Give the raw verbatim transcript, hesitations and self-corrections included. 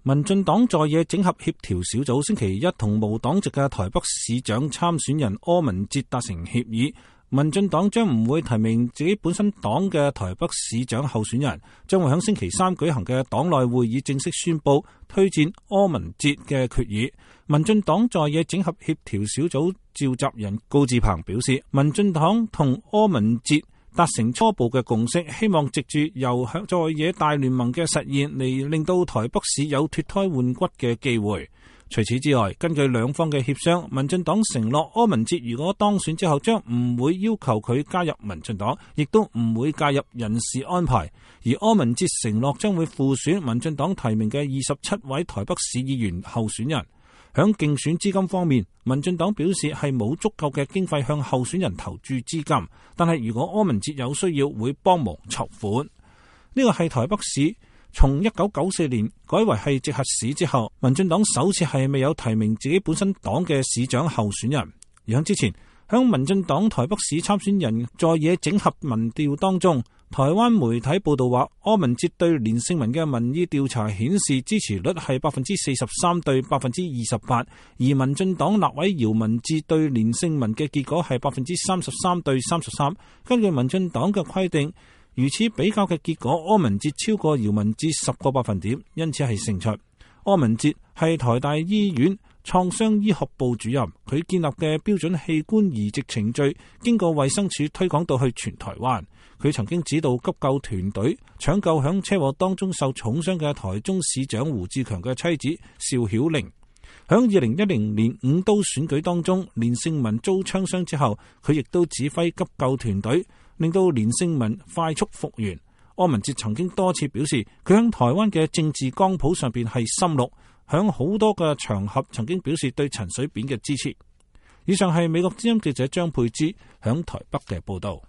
民進黨在野整合協調小組星期一同無黨籍嘅台北市長參選人柯文哲達成協議，民進黨將唔會提名自己本身黨嘅台北市長候選人，將會喺星期三舉行嘅黨內會議正式宣布推薦柯文哲嘅決議。民進黨在野整合協調小組召集人高志鵬表示，民進黨同柯文哲達成初步嘅共識，希望藉住由在野大聯盟嘅實現嚟令到台北市有脫胎換骨嘅機會。除此之外，根據兩方嘅協商，民進黨承諾柯文哲如果當選之後，將唔會要求佢加入民進黨，亦都唔會介入人事安排。而柯文哲承諾將會輔選民進黨提名嘅二十七位台北市議員候選人。響競選資金方面，民進黨表示係冇足夠嘅經費向候選人投注資金，但係如果柯文哲有需要，會幫忙籌款。呢個係台北市從一九九四年改為係直轄市之後，民進黨首次係未有提名自己本身黨嘅市長候選人。而喺之前，響民進黨台北市參選人在野整合民調當中，台灣媒體報道話，柯文哲對連勝文嘅民意調查顯示支持率係百分之四十三對百分之二十八，而民進黨立委姚文智對連勝文嘅結果係百分之三十三對三十三。根據民進黨嘅規定，如此比較嘅結果，柯文哲超過姚文智十個百分點，因此係勝出。柯文哲係台大醫院創傷醫學部主任，佢建立嘅標準器官移植程序經過衛生署推廣到去全台灣。佢曾經指導急救團隊搶救響車禍當中受重傷嘅台中市長胡志強嘅妻子邵曉玲。響二零一零年五都選舉當中，連勝文遭槍傷之後，佢亦都指揮急救團隊，令到連勝文快速復原。柯文哲曾經多次表示，佢響台灣嘅政治光譜上邊係深綠，響好多嘅場合曾經表示對陳水扁嘅支持。以上係美國之音記者張佩芝響台北嘅報道。